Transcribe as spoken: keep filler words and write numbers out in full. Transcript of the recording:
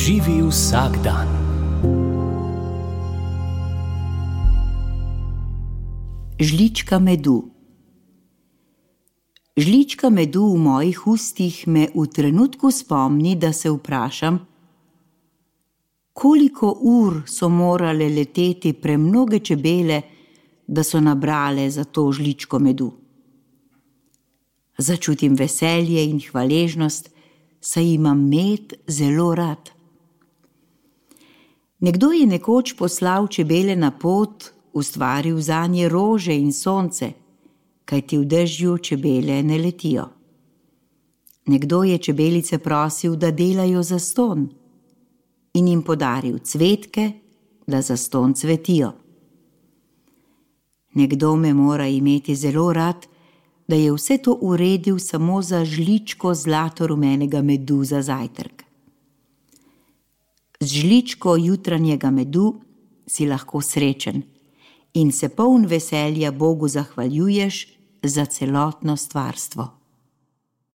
Živi vsak dan. Žlička medu. Žlička medu v mojih ustih me v trenutku spomni, da se vprašam, koliko ur so morale leteti premnoge čebele, da so nabrale za to žličko medu. Začutim veselje in hvaležnost, saj imam med zelo rad. Nekdo je nekoč poslal čebele na pot, ustvaril zanje rože in sonce, kajti v dežju čebele ne letijo. Nekdo je čebelice prosil, da delajo zastonj, in jim podaril cvetke, da zastonj cvetijo. Nekdo me mora imeti zelo rad, da je vse to uredil samo za žličko zlato-rumenega medu za zajtrk. Z žličko jutranjega medu si lahko srečen in se poln veselja Bogu zahvaljuješ za celotno stvarstvo.